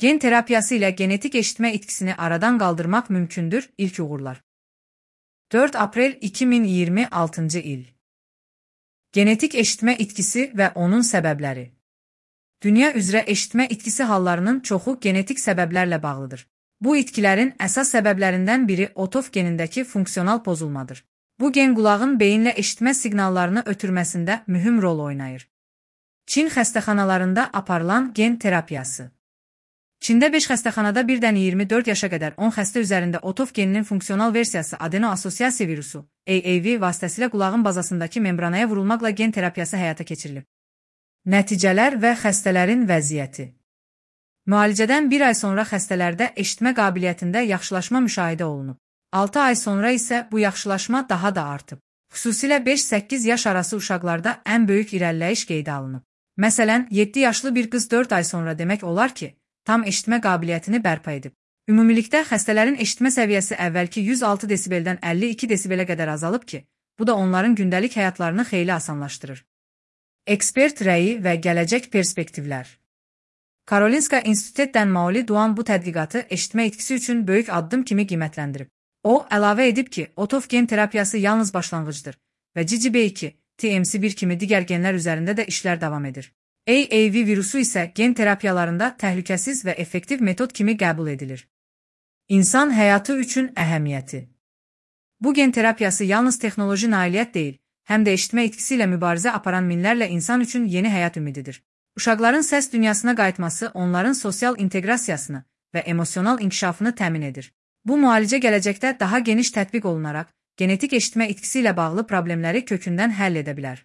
Gen terapiyası ilə genetik eşitmə itkisini aradan qaldırmaq mümkündür. İlk uğurlar. 4 aprel 2026 il. Genetik eşitmə itkisi və onun səbəbləri. Dünya üzrə eşitmə itkisi hallarının çoxu genetik səbəblərlə bağlıdır. Bu itkilərin əsas səbəblərindən biri otof genindəki funksional pozulmadır. Bu gen qulağın beyinlə eşitmə siqnallarını ötürməsində mühüm rol oynayır. Çin xəstəxanalarında aparılan gen terapiyası. Çində 5 xəstəxanada birdən 24 yaşa qədər 10 xəstə üzərində otof geninin funksional versiyası adeno-assosiasiya virusu, AAV vasitəsilə qulağın bazasındakı membranaya vurulmaqla gen terapiyası həyata keçirilib. Nəticələr və xəstələrin vəziyyəti. Müalicədən 1 ay sonra xəstələrdə eşitmə qabiliyyətində yaxşılaşma müşahidə olunub. 6 ay sonra isə bu yaxşılaşma daha da artıb. Xüsusilə 5-8 yaş arası uşaqlarda ən böyük irəliləyiş qeydə alınıb. Məsələn, 7 yaşlı bir qız 4 ay sonra demək olar ki, tam eşitmə qabiliyyətini bərpa edib. Ümumilikdə xəstələrin eşitmə səviyyəsi əvvəlki 106 desibeldən 52 desibelə qədər azalıb ki, bu da onların gündəlik həyatlarını xeyli asanlaşdırır. Ekspert rəyi və gələcək perspektivlər. Karolinska İnstitutdan Maoli Duan bu tədqiqatı eşitmə itkisi üçün böyük addım kimi qiymətləndirib. O, əlavə edib ki, otof gen terapiyası yalnız başlanğıcdır və GGB2, TMC1 kimi digər genlər üzərində də işlər davam edir. AAV virusu isə gen terapiyalarında təhlükəsiz və effektiv metod kimi qəbul edilir. İnsan həyatı üçün əhəmiyyəti. Bu gen terapiyası yalnız texnoloji nailiyyət deyil, həm də eşitmə itkisi ilə mübarizə aparan minlərlə insan üçün yeni həyat ümididir. Uşaqların səs dünyasına qayıtması onların sosial inteqrasiyasını və emosional inkişafını təmin edir. Bu müalicə gələcəkdə daha geniş tətbiq olunaraq, genetik eşitmə itkisi ilə bağlı problemləri kökündən həll edə bilər.